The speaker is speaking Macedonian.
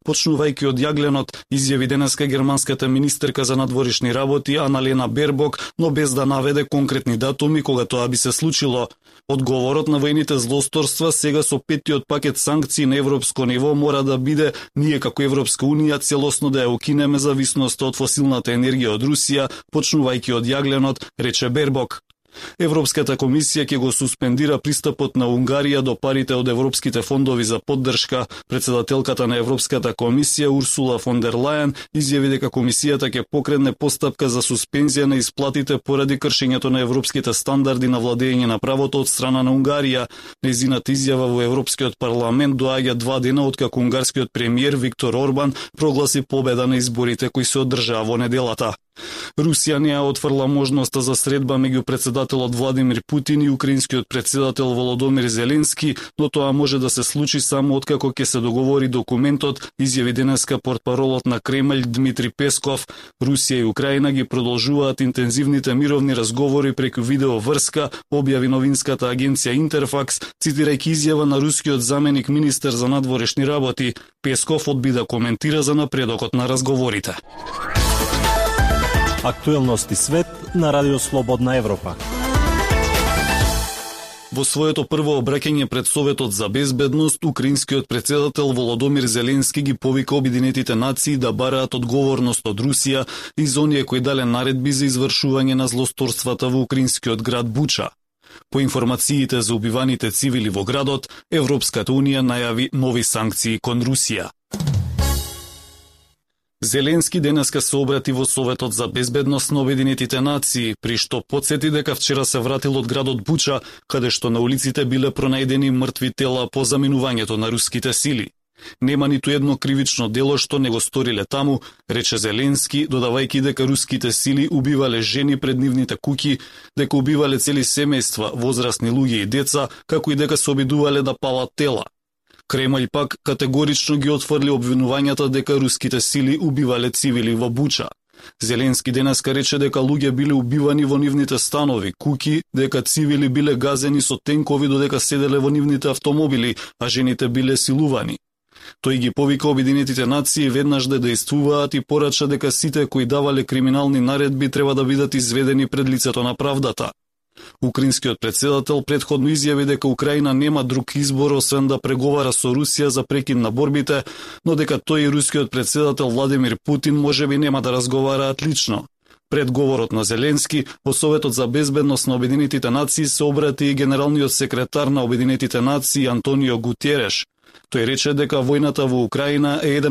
почнувајќи од јагленот, изјави денеска германската министерка за надворешни работи Аналена Бербок, но без да наведе конкретни датуми кога тоа би се случило. Одговорот на воените злосторства сега со петтиот пакет санкции на европско ниво мора да биде ние како Европска унија целосно да ја укинеме зависноста од фосилната енергија од Русија, почнувајќи од јагленот, рече Бербок. Европската комисија ќе го суспендира пристапот на Унгарија до парите од европските фондови за поддршка. Председателката на Европската комисија Урсула фон дер Лајен изјави дека комисијата ќе покрене постапка за суспензија на исплатите поради кршењето на европските стандарди на владење на правото од страна на Унгарија. Нејзината изјава во Европскиот парламент доаѓа 2 дена откако унгарскиот премиер Виктор Орбан прогласи победа на изборите кои се одржаа во неделата. Русија не ја отфрла можноста за средба меѓу председателот Владимир Путин и украинскиот председател Володомир Зеленски, но тоа може да се случи само откако ќе се договори документот, изјави денеска портпаролот на Кремљ Дмитри Песков. Русија и Украина ги продолжуваат интензивните мировни разговори преку видеоврска, објави новинската агенција Интерфакс, цитирајќи изјава на рускиот заменик министер за надворешни работи. Песков одби да коментира за напредокот на разговорите. Актуелности свет на Радио Слободна Европа. Во своето прво обраќање пред Советот за безбедност, украинскиот председател Володомир Зеленски ги повика Обединетите нации да бараат одговорност од Русија и за оние кои дале наредби за извршување на злосторствата во украинскиот град Буча. По информациите за убиваните цивили во градот, Европската унија најави нови санкции кон Русија. Зеленски денеска се обрати во Советот за безбедност на Обединетите нации, при што потсети дека вчера се вратил од градот Буча, каде што на улиците биле пронајдени мртви тела по заминувањето на руските сили. Нема ниту едно кривично дело што не го сториле таму, рече Зеленски, додавајќи дека руските сили убивале жени пред нивните куќи, дека убивале цели семејства, возрастни луѓе и деца, како и дека се обидувале да палат тела. Кремљ пак категорично ги отфрли обвинувањата дека руските сили убивале цивили во Буча. Зеленски денеска рече дека луѓе биле убивани во нивните станови, куќи, дека цивили биле газени со тенкови додека седеле во нивните автомобили, а жените биле силувани. Тој ги повика Обединетите нации веднаш да действуваат и порача дека сите кои давале криминални наредби треба да бидат изведени пред лицето на правдата. Украинскиот председател претходно изјави дека Украина нема друг избор освен да преговара со Русија за прекин на борбите, но дека тој и рускиот председател Владимир Путин можеби нема да разговараат лично. Пред говорот на Зеленски, во Советот за безбедност на Обединетите нации се обрати и генералниот секретар на Обединетите нации Антонио Гутереш. Тој рече дека војната во Украина е еден